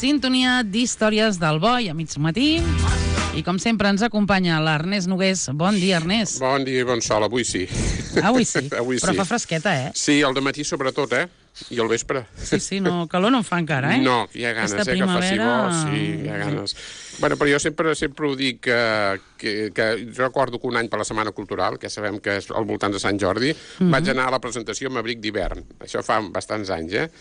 sintonia d'Històries del Boi a mig matí. I com sempre ens acompanya l'Ernest Nogués. Bon dia, Ernest. Bon dia i bon sol, avui sí. Avui sí, avui però sí. fa fresqueta, Sí, al dematí sobretot, I al vespre. Sí, no, calor no en fa encara, No, hi ha ganes, Aquesta que faci bo, sí, hi ha primavera... ganes. Bueno, però jo sempre ho dic que jo recordo que un any per la Setmana Cultural, que sabem que és al voltant de Sant Jordi, vaig anar a la presentació amb abric d'hivern. Això fa bastants anys,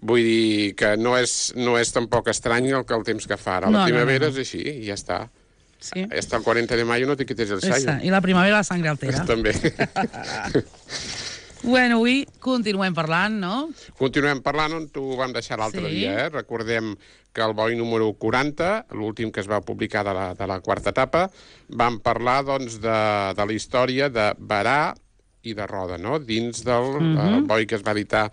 Vull dir que no és tampoc estrany el temps que fa ara. La primavera és així, i ja està. Sí. Hasta el 40 de mayo no te quites el sayo. I la primavera la sangre altera. També. Bueno, avui continuem parlant, no? Continuem parlant on t'ho vam deixar l'altre dia, Recordem que el Boi número 40, l'últim que es va publicar de la quarta etapa, vam parlar, doncs, de la història de Berà i de Roda, no? Dins del Boi que es va editar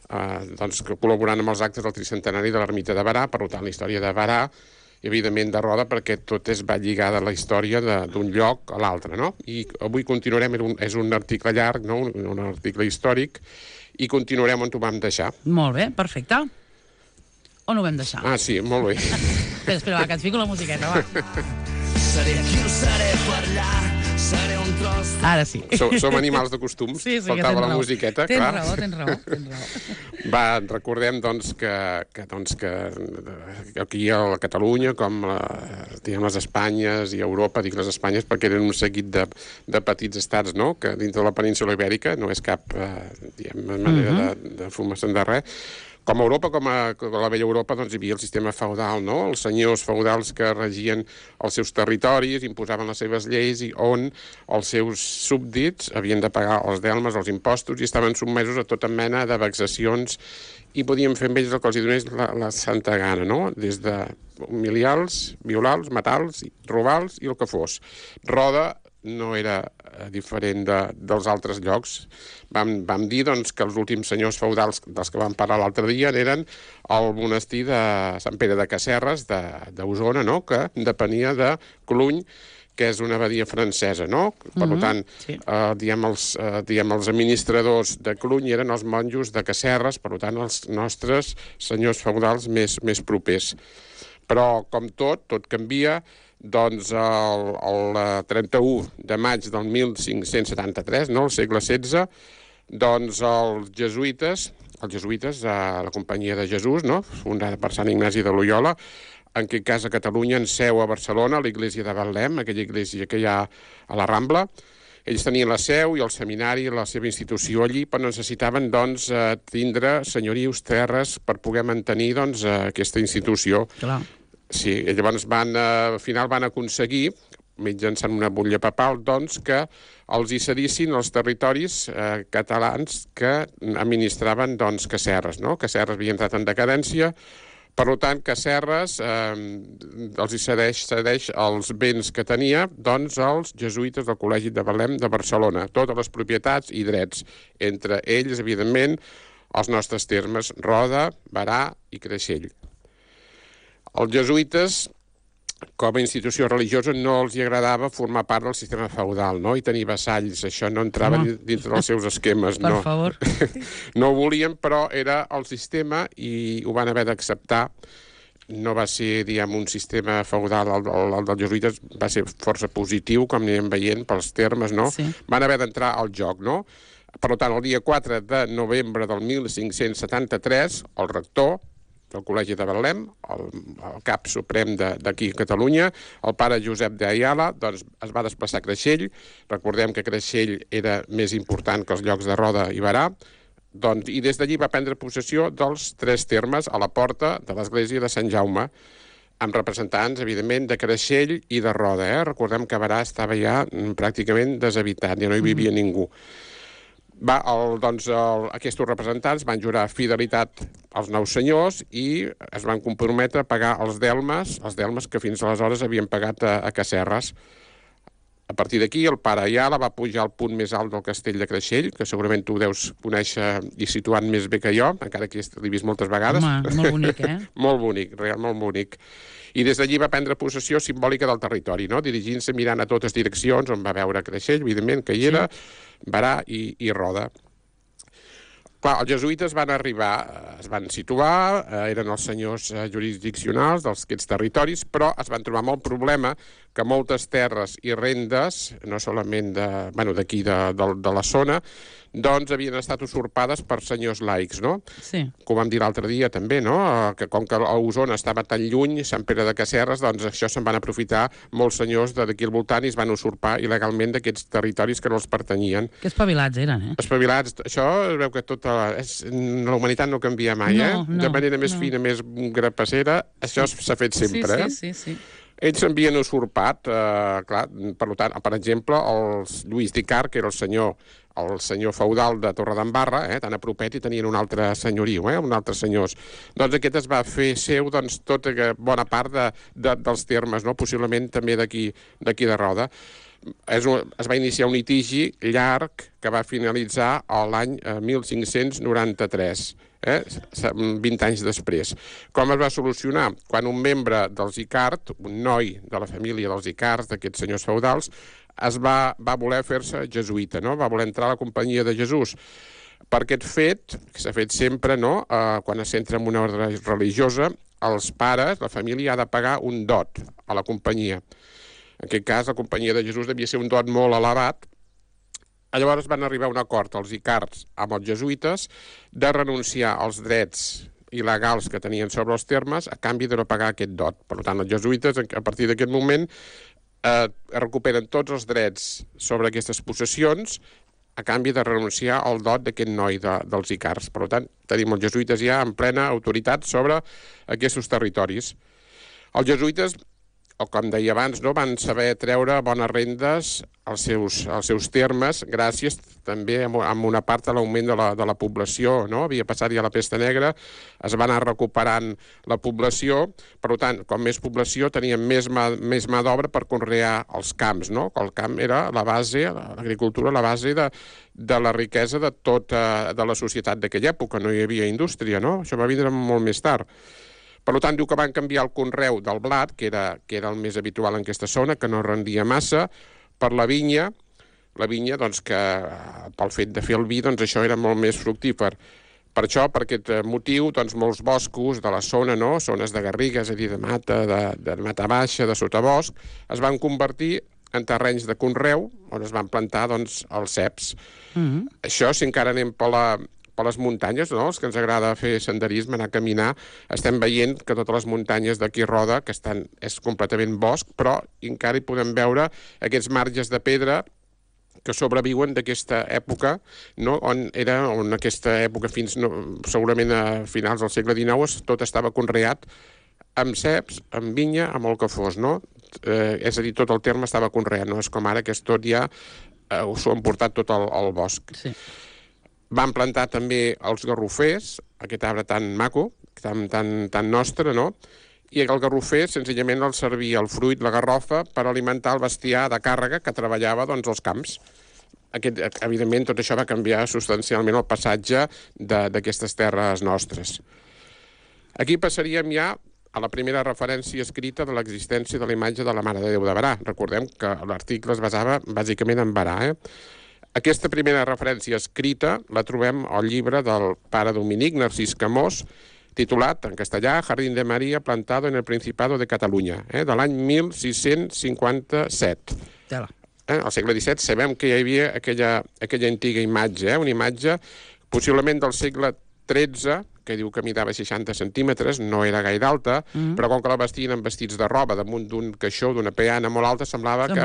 doncs, col·laborant amb els actes del tricentenari de l'ermita de Berà, per tant, la història de Berà i, evidentment, de Roda, perquè tot va lligada a la història d'un lloc a l'altre, no? I avui continuarem, és un article llarg, no? Un article històric, i continuarem on ho vam deixar. Molt bé, perfecte. On ho vam deixar? Ah, sí, molt bé. Espera, que et fico la musiqueta, va. Seré qui ho seré per allà, seré un tros... Ara sí. Som animals de costums, sí, faltava la musiqueta, clar. Tens raó. Va, recordem, doncs, que aquí a Catalunya, com les Espanyes i Europa, dic les Espanyes perquè eren un seguit de petits estats, no?, que dintre de la península Ibèrica no és cap, manera de formar-se'n de res. Com a Europa, com a la vella Europa, doncs hi havia el sistema feudal, no? Els senyors feudals que regien els seus territoris, imposaven les seves lleis, i on els seus súbdits havien de pagar els delmes, els impostos, i estaven sotmesos a tota mena de vexacions, i podien fer amb ells el que els donés la santa gana, no? Des de humiliar-los, violar-los, matar-los, robar-los i el que fos. Roda no era diferent dels altres llocs. Vam dir, doncs, que els últims senyors feudals dels que vam parlar l'altre dia eren el monestir de Sant Pere de Casserres, d'Osona, no?, que depenia de Cluny, que és una abadia francesa, no? Per tant, els administradors de Cluny eren els monjos de Casserres, per tant, els nostres senyors feudals més propers. Però, com tot canvia. Doncs el 31 de maig del 1573, no?, al segle XVI, doncs els jesuïtes, la Companyia de Jesús, no?, fundada per Sant Ignasi de Loyola, en aquest cas a Catalunya, en seu a Barcelona, a l'església de Betlem, aquella església que hi ha a la Rambla. Ells tenien la seu i el seminari, la seva institució allí, però necessitaven, doncs, tindre senyorius, terres, per poder mantenir, doncs, aquesta institució. Clar. Sí, llavors al final van aconseguir, mitjançant una butlla papal, doncs, que els hi cedissin els territoris catalans que administraven, doncs, Casserres, no? Casserres havia entrat en decadència, per tant, Casserres els hi cedeix els béns que tenia, doncs, als jesuïtes del Col·legi de Betlem de Barcelona, totes les propietats i drets, entre ells, evidentment, els nostres termes, Roda, Berà i Creixell. Els jesuïtes, com a institució religiosa, no els hi agradava formar part del sistema feudal, no?, i tenir vassalls. Això no entrava dins dels seus esquemes, no. Per favor. No ho volien, però era el sistema i ho van haver d'acceptar. No va ser, diguem, un sistema feudal, el dels jesuïtes va ser força positiu, com anirem veient pels termes, no? Sí. Van haver d'entrar al joc, no? Per tant, el dia 4 de novembre del 1573, el rector del Col·legi de Betlem, el cap suprem d'aquí a Catalunya, el pare Josep d'Ayala, doncs es va desplaçar a Creixell. Recordem que Creixell era més important que els llocs de Roda i Berà, doncs, i des d'allí va prendre possessió dels 3 termes a la porta de l'església de Sant Jaume, amb representants, evidentment, de Creixell i de Roda. Recordem que Berà estava ja pràcticament deshabitat, ja no hi vivia ningú. Aquests representants van jurar fidelitat als nous senyors i es van comprometre a pagar els delmes que fins aleshores havien pagat a Casserres. A partir d'aquí, el pare Ayala va pujar al punt més alt del castell de Creixell, que segurament tu deus conèixer i situant més bé que jo, encara que l'he vist moltes vegades. Home, molt bonic, Molt bonic, molt bonic. I des d'allí va prendre possessió simbòlica del territori, no?, dirigint-se mirant a totes direccions, on va veure Creixell, evidentment, que hi era, Berà i Roda. Clar, els jesuïtes van arribar, es van situar, eren els senyors jurisdiccionals d'aquests territoris, però es van trobar amb el problema que moltes terres i rendes, no solament d'aquí de la zona, doncs havien estat usurpades per senyors laics, no? Sí. Que ho vam dir l'altre dia també, no? Que com que Osona estava tan lluny, Sant Pere de Casserres, doncs això se'n van aprofitar molts senyors d'aquí al voltant i es van usurpar il·legalment d'aquests territoris que no els pertanyien. Que espavilats eren, Espavilats. Això es veu que la humanitat no canvia mai, de manera més fina, més grapassera, això s'ha fet sempre, Sí. Ells s'havien usurpat, clar, per tant, per exemple, els Lluís d'Icart, que era el senyor feudal de Torredembarra, tan a propet, i tenien un altre senyoriu, un altre senyors. Doncs aquest es va fer seu tota bona part dels termes, no? Possiblement també d'aquí de Roda. Es va iniciar un litigi llarg que va finalitzar l'any 1593, 20 anys després. Com es va solucionar? Quan un membre dels Icart, un noi de la família dels Icarts, d'aquests senyors feudals, va voler fer-se jesuïta, no? Va voler entrar a la companyia de Jesús. Per aquest fet, que s'ha fet sempre, no? Quan s'entra en una ordre religiosa, els pares, la família, ha de pagar un dot a la companyia. En aquest cas, la companyia de Jesús devia ser un dot molt elevat. Llavors van arribar a un acord els Icarts amb els jesuïtes de renunciar als drets il·legals que tenien sobre els termes a canvi de no pagar aquest dot. Per tant, els jesuïtes, a partir d'aquest moment, recuperen tots els drets sobre aquestes possessions a canvi de renunciar al dot d'aquest noi dels Icarts. Per tant, tenim els jesuïtes ja en plena autoritat sobre aquests territoris. Els jesuïtes, o com deia abans, no, van saber treure bones rendes als seus termes, gràcies també a una part de l'augment de la població, no? Havia passat ja la pesta negra, es va anar recuperant la població, per tant, com més població teníem més mà d'obra per conrear els camps, no? El camp era la base, l'agricultura, la base de la riquesa de tota la societat d'aquella època, no hi havia indústria, no? Això va vindre molt més tard. Per tant, diu que van canviar el conreu del blat, que era el més habitual en aquesta zona, que no rendia massa, per la vinya, doncs, que pel fet de fer el vi, doncs això era molt més fructífer. Per això, per aquest motiu, doncs molts boscos de la zona, no? Zones de garriga, és a dir, de mata baixa, de sotabosc, es van convertir en terrenys de conreu, on es van plantar, doncs, els ceps. Això, si encara anem per les muntanyes, no? Els que ens agrada fer senderisme, anar a caminar, estem veient que totes les muntanyes d'aquí Roda, que és completament bosc, però encara hi podem veure aquests marges de pedra que sobreviuen d'aquesta època, no? On aquesta època segurament a finals del segle XIX tot estava conreat amb ceps, amb vinya, amb el que fos, no? És a dir, tot el terme estava conreat, no és com ara que és tot ja s'ho han portat tot al bosc. Sí. Van plantar també els garrofers, aquest arbre tan maco, tan nostre, no? I el garrofer, senzillament, el servia el fruit, la garrofa, per alimentar el bestiar de càrrega que treballava, doncs, als camps. Evidentment, tot això va canviar substancialment el passatge d'aquestes terres nostres. Aquí passaríem ja a la primera referència escrita de l'existència de la imatge de la Mare de Déu de Berà. Recordem que l'article es basava bàsicament en Berà, Aquesta primera referència escrita la trobem al llibre del pare Dominic, Narcís Camós, titulat en castellà Jardín de María plantado en el Principado de Catalunya, de l'any 1657. Al segle XVII sabem que hi havia aquella antiga imatge, una imatge possiblement del segle XIII, que diu que midava 60 centímetres, no era gaire alta, però com que la vestien amb vestits de roba damunt d'un caixó, d'una peana molt alta, semblava que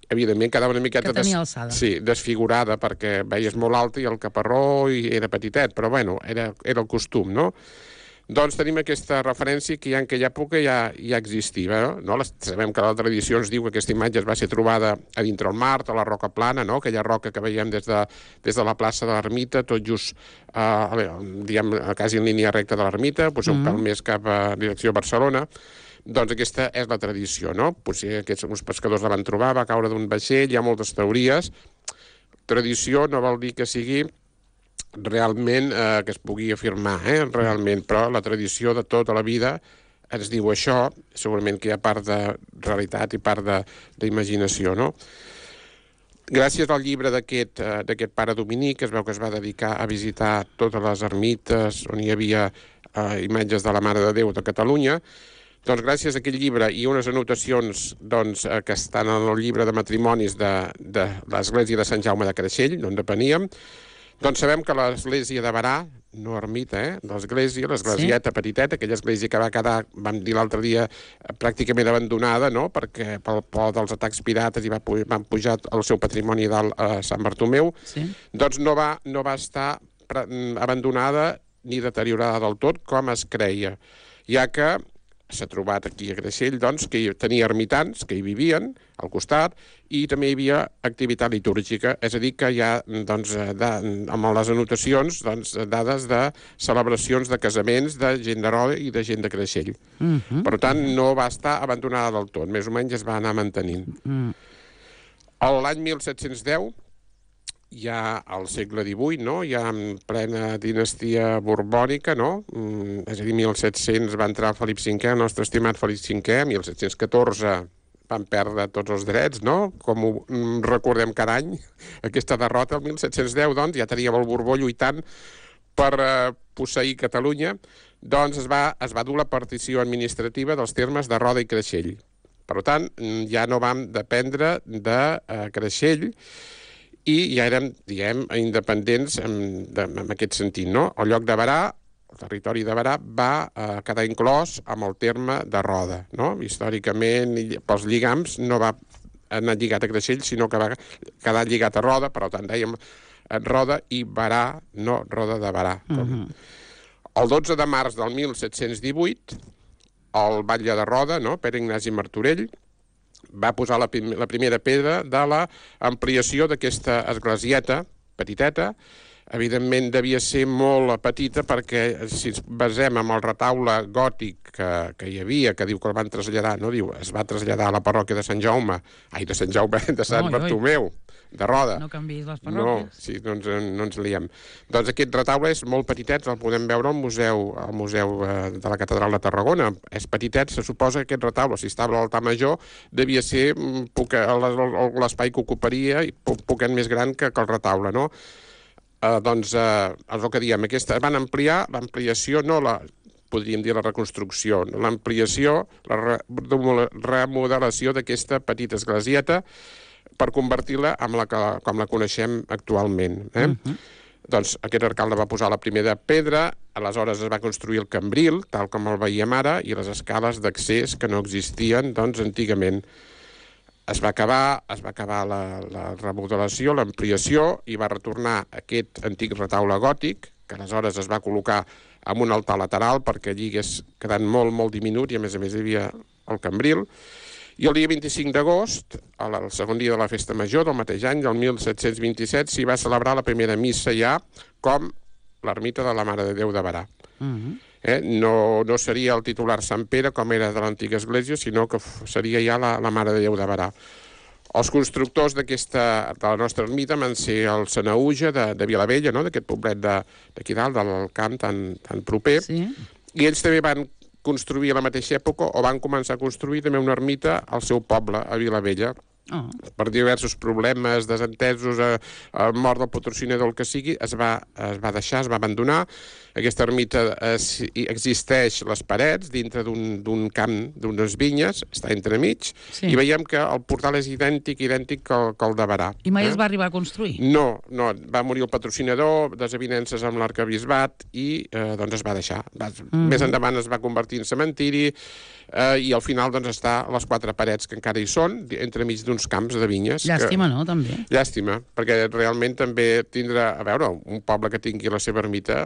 evidentment quedava una miqueta desfigurada perquè veies molt alta i el caparró era petitet, però bueno, era el costum, no? Doncs tenim aquesta referència que ja en aquella època ja existia, no? Sabem que la tradició ens diu que aquesta imatge es va ser trobada a dintre el mar, a la Roca Plana, no? Aquella roca que veiem des de la plaça de l'Ermita, tot just, diguem, quasi en línia recta de l'Ermita, un pèl més cap a direcció a Barcelona. Doncs aquesta és la tradició, no? Potser uns pescadors la van trobar, va caure d'un vaixell, hi ha moltes teories. Tradició no vol dir que sigui realment que es pugui afirmar, realment, però la tradició de tota la vida ens diu això, segurament que hi ha part de realitat i part d'imaginació, no? Gràcies al llibre d'aquest pare Dominic, es veu que es va dedicar a visitar totes les ermites on hi havia imatges de la Mare de Déu de Catalunya. Doncs gràcies a aquest llibre i unes anotacions que estan en el llibre de matrimonis de l'església de Sant Jaume de Creixell, d'on depeníem, doncs sabem que l'església de Berà, no ermita, l'esglésieta petiteta, aquella església que va quedar, vam dir l'altre dia, pràcticament abandonada, no?, perquè pel por dels atacs pirates i van pujar el seu patrimoni dalt a Sant Bartomeu, doncs no va estar abandonada ni deteriorada del tot com es creia, ja que s'ha trobat aquí a Creixell, doncs, que hi tenia ermitans que hi vivien al costat i també hi havia activitat litúrgica, és a dir, que hi ha, doncs, amb les anotacions, doncs, dades de celebracions de casaments de gent de Roda i de gent de Creixell. Per tant, no va estar abandonada del tot, més o menys es va anar mantenint. L'any 1710, ja al segle XVIII, no?, ja en plena dinastia borbònica, no?, és a dir, 1700 va entrar Felip V, el nostre estimat Felip V, 1714 van perdre tots els drets, no?, com ho recordem cada any, aquesta derrota. El 1710, doncs, ja teníem el Borbó lluitant per posseir Catalunya, doncs es va dur la partició administrativa dels termes de Roda i Creixell. Per tant, ja no vam dependre de Creixell, i ja érem, diguem, independents en aquest sentit, no? El lloc de Berà, el territori de Berà, va quedar inclòs amb el terme de Roda, no? Històricament, pels lligams, no va anar lligat a Creixell, sinó que va quedar lligat a Roda, per tant, dèiem Roda i Berà, no Roda de Berà. El 12 de març del 1718, el batlle de Roda, no?, Pere Ignasi Martorell, va posar la primera pedra de l'ampliació d'aquesta esglésieta petiteta. Evidentment devia ser molt petita perquè si ens basem en el retaule gòtic que hi havia, que diu que el van traslladar, no diu, es va traslladar a la parròquia de Sant Jaume, de Sant Bartomeu, de Roda. No canviïs les parròquies. No, sí, no ens liem. Doncs aquest retaule és molt petitet, el podem veure al museu de la Catedral de Tarragona. És petitet, se suposa que aquest retaule, si estava a l'altar major, devia ser l'espai que ocuparia i poquet més gran que el retaule, no? Doncs és el que diem, van ampliar l'ampliació, no podríem dir la reconstrucció, l'ampliació, la remodelació d'aquesta petita esglésieta per convertir-la com la coneixem actualment. Doncs aquest alcalde va posar la primera pedra, aleshores es va construir el cambril, tal com el veiem ara, i les escales d'accés que no existien, doncs, antigament. Es va acabar la remodelació, l'ampliació, i va retornar aquest antic retaule gòtic, que aleshores es va col·locar amb un altar lateral perquè allí hagués quedat molt, molt diminut, i a més hi havia el cambril. I el dia 25 d'agost, el segon dia de la festa major del mateix any, del 1727, s'hi va celebrar la primera missa ja com l'ermita de la Mare de Déu de Berà. No seria el titular Sant Pere, com era de l'antiga església, sinó que seria ja la Mare de Déu de Berà. Els constructors de la nostra ermita van ser el Sanaüja de Vilavella, d'aquest poblet d'aquí dalt, del camp tan proper, i ells també van construir a la mateixa època, o van començar a construir també una ermita al seu poble, a Vilavella. Per diversos problemes, desentesos, mort del patrocinador, el que sigui, es va deixar, es va abandonar. Aquesta ermita existeix les parets dintre d'un camp, d'unes vinyes, està entremig, i veiem que el portal és idèntic que el de Berà. I mai es va arribar a construir? No, va morir el patrocinador, desavinences amb l'arquebisbat, i doncs es va deixar. Més endavant es va convertir en cementiri, i al final doncs està a les 4 parets que encara hi són, entremig d'uns camps de vinyes. Llàstima, no, també? Llàstima, perquè realment també tindrà, a veure, un poble que tingui la seva ermita,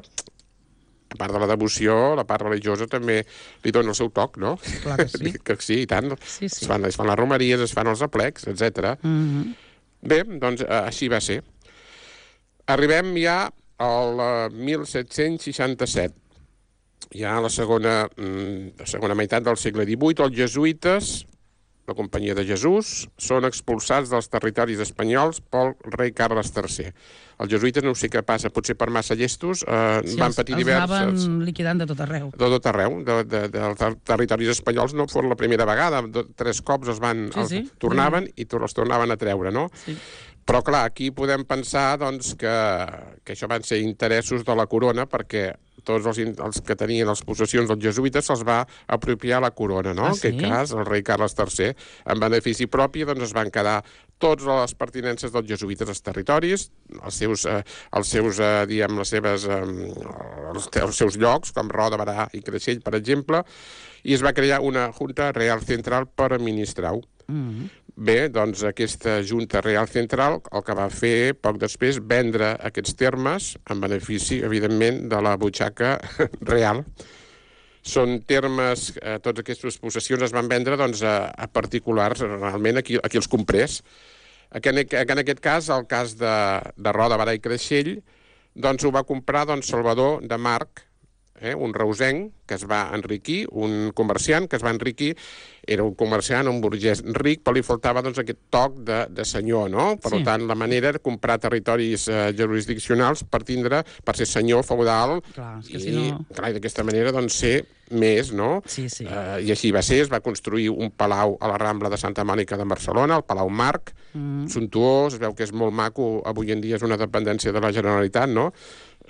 a part de la devoció, la part religiosa també li dona el seu toc, no? Clar que sí. Que sí, i tant. Es fan les romeries, es fan els aplecs, etc. Bé, doncs així va ser. Arribem ja al 1767. Ja a la segona meitat del segle XVIII, els jesuïtes, la Companyia de Jesús, són expulsats dels territoris espanyols pel rei Carles III. Els jesuïtes, no sé què passa, potser per massa llestos, van patir diverses... Els anaven liquidant de tot arreu. De tot arreu, dels territoris espanyols no fos la primera vegada, 3 cops tornaven i els tornaven a treure, no? Però, clar, aquí podem pensar doncs, que això van ser interessos de la corona, perquè tots els que tenien les possessions dels jesuïtes se'ls va apropiar la corona, no? Ah, En aquest sí? cas, el rei Carles III. En benefici propi, doncs, es van quedar tots les pertinences dels jesuïtes als territoris, diguem, els seus llocs, com Roda, Barà i Creixell, per exemple, i es va crear una Junta Real Central per administrar-ho. Bé, doncs aquesta Junta Real Central el que va fer poc després vendre aquests termes en benefici, evidentment, de la butxaca real. Són termes, tots aquestes possessions es van vendre doncs, a particulars, realment, a qui els comprés. En aquest cas, el cas de Roda, Barà i Creixell, doncs ho va comprar Salvador de March, un reusenc que es va enriquir, un comerciant que es va enriquir, era un comerciant, un burgès ric, però li faltava aquest toc de senyor, no? Per tant, la manera de comprar territoris jurisdiccionals per ser senyor feudal i d'aquesta manera ser més, no? Sí. I així va ser, es va construir un palau a la Rambla de Santa Mònica de Barcelona, el Palau Marc, suntuós, es veu que és molt maco, avui en dia és una dependència de la Generalitat, no?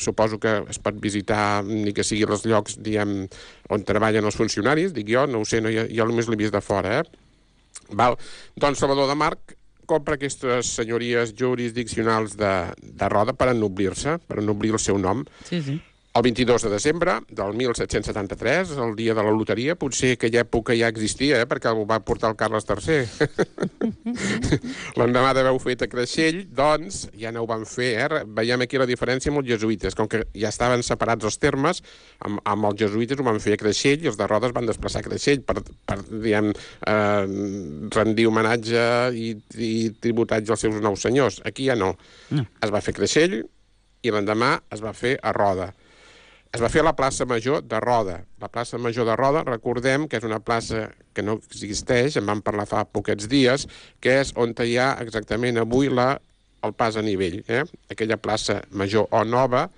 Suposo que es pot visitar ni que sigui els llocs, diguem, on treballen els funcionaris, dic jo, no ho sé, jo només l'he vist de fora, Doncs Salvador de March compra aquestes senyories jurisdiccionals de Roda per ennoblir-se, per ennoblir el seu nom. Sí. El 22 de desembre del 1773, el dia de la loteria, potser aquella època ja existia, perquè ho va portar el Carles III. L'endemà d'haver-ho fet a Creixell, doncs, ja no ho van fer. Veiem aquí la diferència amb els jesuïtes. Com que ja estaven separats els termes, amb els jesuïtes ho van fer a Creixell i els de Roda es van desplaçar a Creixell per diguem, rendir homenatge i tributatge als seus nous senyors. Aquí ja no. Es va fer a Creixell i l'endemà es va fer a Roda. Es va fer a la plaça Major de Roda. La plaça Major de Roda, recordem que és una plaça que no existeix, en vam parlar fa poquets dies, que és on hi ha exactament avui el pas a nivell. Aquella plaça Major o Nova,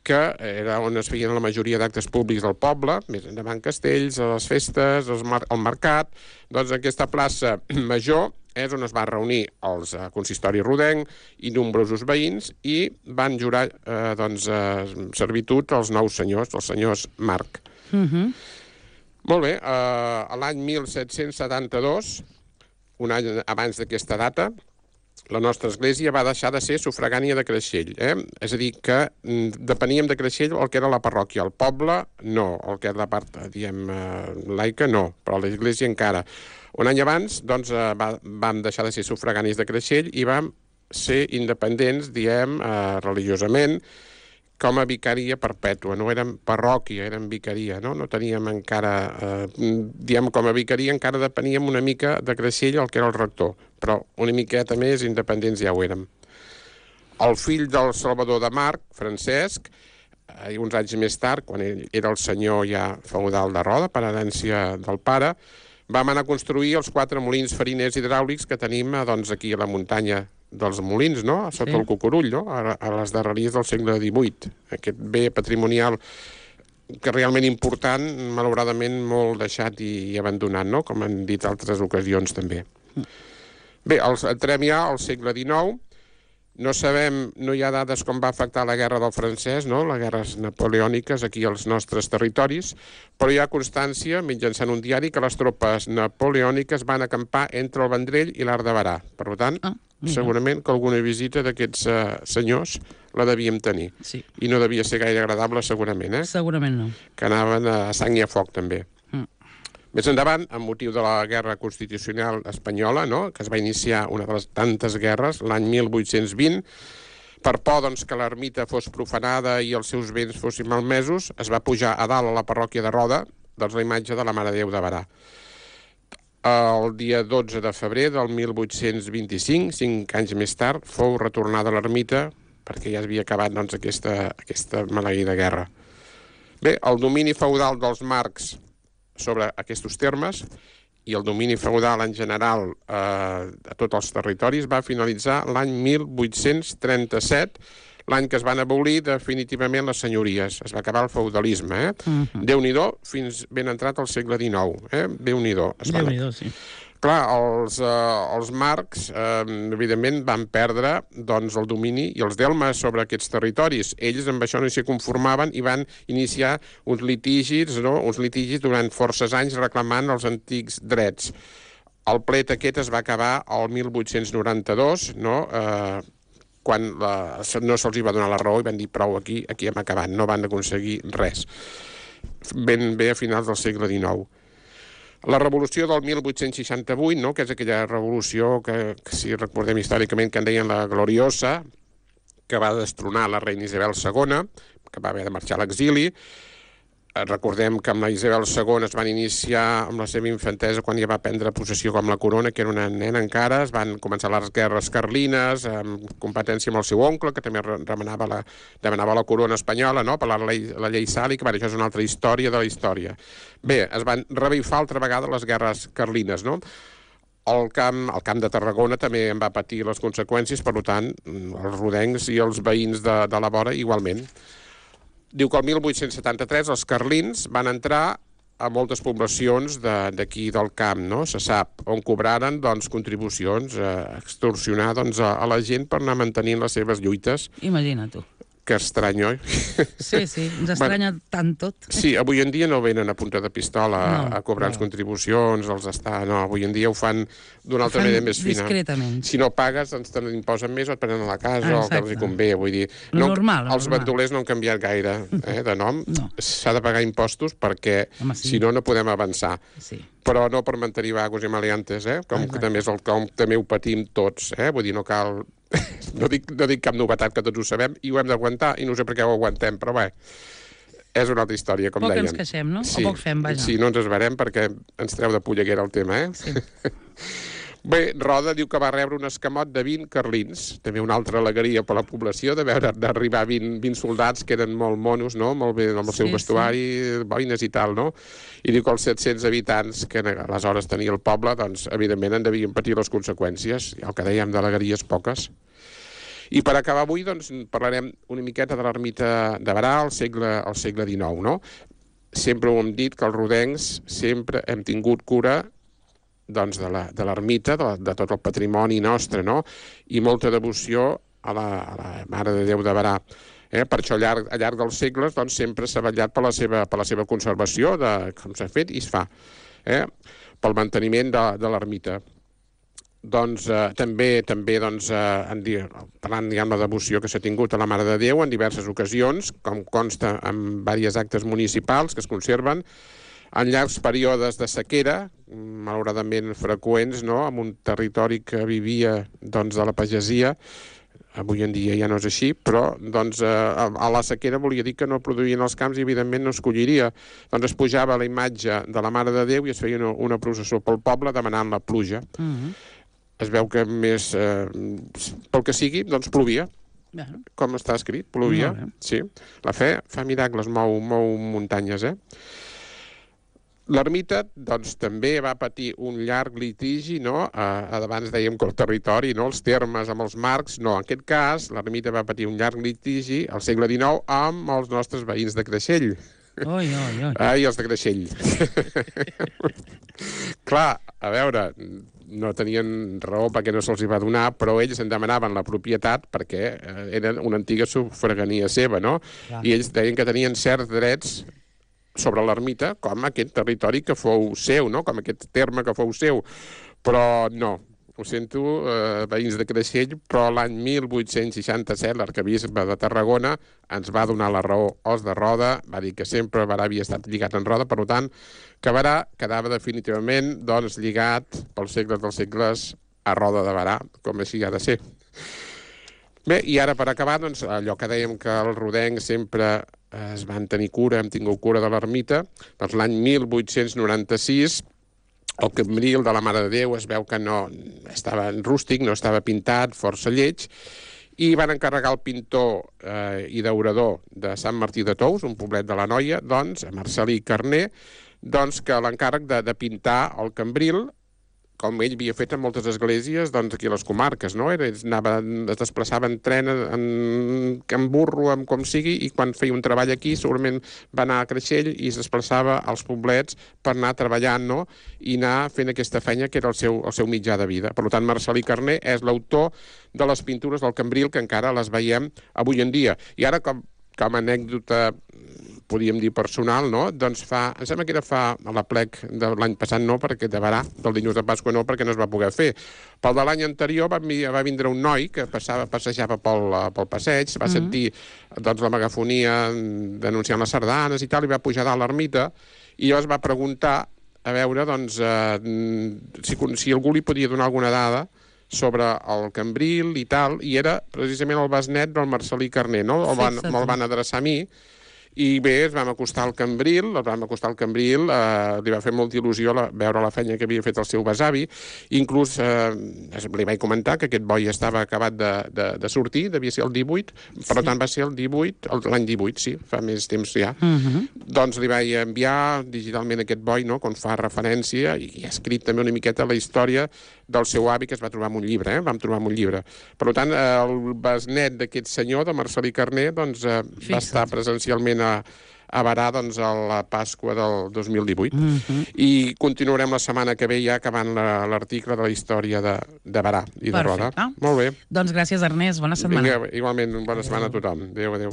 que era on es feien la majoria d'actes públics del poble, més endavant castells, les festes, el mercat. Doncs aquesta plaça Major és on es va reunir els consistori rodenc i nombrosos veïns i van jurar servitud als nous senyors, els senyors March. Molt bé, l'any 1772, un any abans d'aquesta data, la nostra església va deixar de ser sufragània de Creixell. És a dir, que depeníem de Creixell el que era la parròquia. El poble, no. El que era la part, diguem, laica, no. Però l'església encara. Un any abans, doncs, vam deixar de ser sufraganis de Creixell i vam ser independents, diguem, religiosament, com a vicaria perpètua. No érem parròquia, érem vicaria, no? No teníem encara, diguem, com a vicaria encara depeníem una mica de Creixell, el que era el rector, però una miqueta més independents ja ho érem. El fill del Salvador de March, Francesc, uns anys més tard, quan ell era el senyor ja feudal de Roda, per herència del pare, vam anar a construir els 4 molins fariners hidràulics que tenim aquí a la muntanya dels molins, no? Sota el Cucurull, no? A les darreries del segle XVIII. Aquest bé patrimonial que realment important, malauradament molt deixat i abandonat, no? Com han dit altres ocasions també. Bé, entrem ja al segle XIX. No sabem, no hi ha dades com va afectar la guerra del francès, no? Les guerres napoleòniques aquí als nostres territoris, però hi ha constància, mitjançant un diari, que les tropes napoleòniques van acampar entre el Vendrell i l'Arc de Barà. Per tant, segurament que alguna visita d'aquests senyors la devíem tenir. Sí. I no devia ser gaire agradable, segurament, Segurament no. Que anaven a sang i a foc, també. Més endavant, amb motiu de la Guerra Constitucional Espanyola, no? Que es va iniciar una de les tantes guerres, l'any 1820, per por doncs, que l'ermita fos profanada i els seus béns fossin malmesos, es va pujar a dalt a la parròquia de Roda la imatge de la Mare de Déu de Barà. El dia 12 de febrer del 1825, 5 anys més tard, fou retornada a l'ermita perquè ja havia acabat doncs, aquesta maleïda guerra. Bé, el domini feudal dels Marcs sobre aquests termes i el domini feudal en general a tots els territoris va finalitzar l'any 1837. l'any que es van abolir definitivament les senyories. Es va acabar el feudalisme, Déu-n'hi-do, fins ben entrat al segle XIX, Déu-n'hi-do. Déu-n'hi-do, sí. Clar, els marcs, evidentment, van perdre doncs, el domini i els delmes sobre aquests territoris. Ells amb això no s'hi conformaven i van iniciar uns litigis durant forces anys reclamant els antics drets. El plet aquest es va acabar el 1892, quan no se'ls va donar la raó i van dir prou, aquí hem acabat, no van aconseguir res. Ben bé a finals del segle XIX. La revolució del 1868, que és aquella revolució que, si recordem històricament, que en deien la Gloriosa, que va destronar la reina Isabel II, que va haver de marxar a l'exili. Recordem que amb la Isabel II es van iniciar amb la seva infantesa quan ja va prendre possessió com la corona, que era una nena encara. Es van començar les guerres carlines, amb competència amb el seu oncle, que també demanava la corona espanyola, per la llei sàlica. Això és una altra història de la història. Bé, es van revifar altra vegada les guerres carlines, El camp de Tarragona també en va patir les conseqüències, per tant, els rodencs i els veïns de la vora igualment. Diu que el 1873 els carlins van entrar a moltes poblacions d'aquí del camp, se sap, on cobraren contribucions, extorsionar a la gent per anar mantenint les seves lluites. Imagina tu. Que estrany, oi? Sí, ens estranya tant tot. Sí, avui en dia no venen a punta de pistola a cobrar les contribucions, avui en dia ho fan d'una altra manera més fina. Discretament. Si no pagues, te n'imposen més o et prenen a la casa, o que els hi convé, vull dir. Els bandolers no han canviat gaire de nom. S'ha de pagar impostos perquè, si no, no podem avançar. Sí. Però no per mantenir vagos i maleantes, com també és el com també ho patim tots, vull dir, no cal... No dic cap novetat, que tots ho sabem, i ho hem d'aguantar, i no sé per què ho aguantem, però bé, és una altra història, com deien. Poc ens queixem, no? O poc fem, vaja. Sí, no ens esverem perquè ens treu de polleguera el tema, Sí. Bé, Roda diu que va rebre un escamot de 20 carlins, també una altra alegria per la població, d'arribar 20 soldats que eren molt monos, molt bé amb el seu vestuari, boines i tal, I diu que els 700 habitants que aleshores tenia el poble, doncs, evidentment, en devien patir les conseqüències, i el que dèiem d'alegries poques. I per acabar avui, doncs, parlarem una miqueta de l'ermita de Berà al segle XIX, Sempre ho hem dit que els rodencs sempre hem tingut cura de l'ermita, de tot el patrimoni nostre, I molta devoció a la Mare de Déu de Berà. Per això al llarg dels segles sempre s'ha vetllat per la seva conservació, com s'ha fet i es fa, pel manteniment de l'ermita. També parlant de la devoció que s'ha tingut a la Mare de Déu en diverses ocasions, com consta en diversos actes municipals que es conserven, en llargs períodes de sequera, malauradament freqüents, en un territori que vivia de la pagesia. Avui en dia ja no és així, però a la sequera volia dir que no produïen els camps i evidentment no es colliria. Es pujava la imatge de la Mare de Déu i es feia una processó pel poble demanant la pluja. Es veu que més, pel que sigui, plovia. Com està escrit, plovia. Sí. La fe fa miracles, mou muntanyes, L'ermita, també va patir un llarg litigi, abans dèiem que el territori, els termes amb els marcs, en aquest cas, l'ermita va patir un llarg litigi al segle XIX amb els nostres veïns de Creixell. Ai, els de Creixell. Clar, a veure, no tenien raó perquè no se'ls va donar, però ells en demanaven la propietat perquè era una antiga sufragania seva, I ells deien que tenien certs drets sobre l'ermita, com aquest territori que fou seu, com aquest terme que fou seu. Però no, ho sento, veïns de Creixell, però l'any 1867 l'arquebisbe de Tarragona ens va donar la raó. Os de Roda va dir que sempre Berà havia estat lligat en Roda, per tant, que Berà quedava definitivament lligat pels segles dels segles a Roda de Berà, com així ha de ser. Bé, i ara per acabar, allò que dèiem que els rodencs sempre es van tenir cura, hem tingut cura de l'ermita, l'any 1896, el cambril de la Mare de Déu es veu que no estava rústic, no estava pintat, força lleig, i van encarregar al pintor i daurador de Sant Martí de Tous, un poblet de l'Anoia, a Marcelí Carner, que l'encàrrec de pintar el cambril com ell havia fet en moltes esglésies doncs, aquí a les comarques, no? Es desplaçava en tren, en burro, en com sigui, i quan feia un treball aquí segurament va anar a Creixell i es desplaçava als poblets per anar treballant, no? I anar fent aquesta feina que era el seu mitjà de vida. Per tant, Marcel·lí Carner és l'autor de les pintures del Cambril, que encara les veiem avui en dia. I ara, com a anècdota, podríem dir personal, no? Doncs em sembla que era a l'aplec de l'any passat, no, perquè de Berà, del dilluns de Pasqua no, perquè no es va poder fer. Pel de l'any anterior va vindre un noi que passejava pel passeig, va sentir doncs, la megafonia denunciant les sardanes i tal, i va pujar dalt l'ermita, i llavors va preguntar a veure doncs, si algú li podia donar alguna dada sobre el Cambril i tal, i era precisament el besnet del Marcel·lí Carner, no? Me'l van adreçar a mi, i bé, ens vam acostar al Cambril, li va fer molta il·lusió veure la feina que havia fet el seu besavi, inclús li vaig comentar que aquest boi estava acabat de sortir, devia ser el 18, per tant va ser el 18, l'any 18, sí, fa més temps ja. Doncs li vaig enviar digitalment aquest boi, no?, on fa referència, i ha escrit també una miqueta la història del seu avi, que es va trobar en un llibre, vam trobar en un llibre. Per tant, el besnet d'aquest senyor, de Marcel·lí Carner, doncs va estar presencialment a Berà doncs, a la Pasqua del 2018. I continuarem la setmana que ve ja acabant l'article de la història de Berà i de Roda. Molt bé. Doncs gràcies, Ernest. Bona setmana. Vinga, igualment, bona setmana a tothom. Adéu, adéu.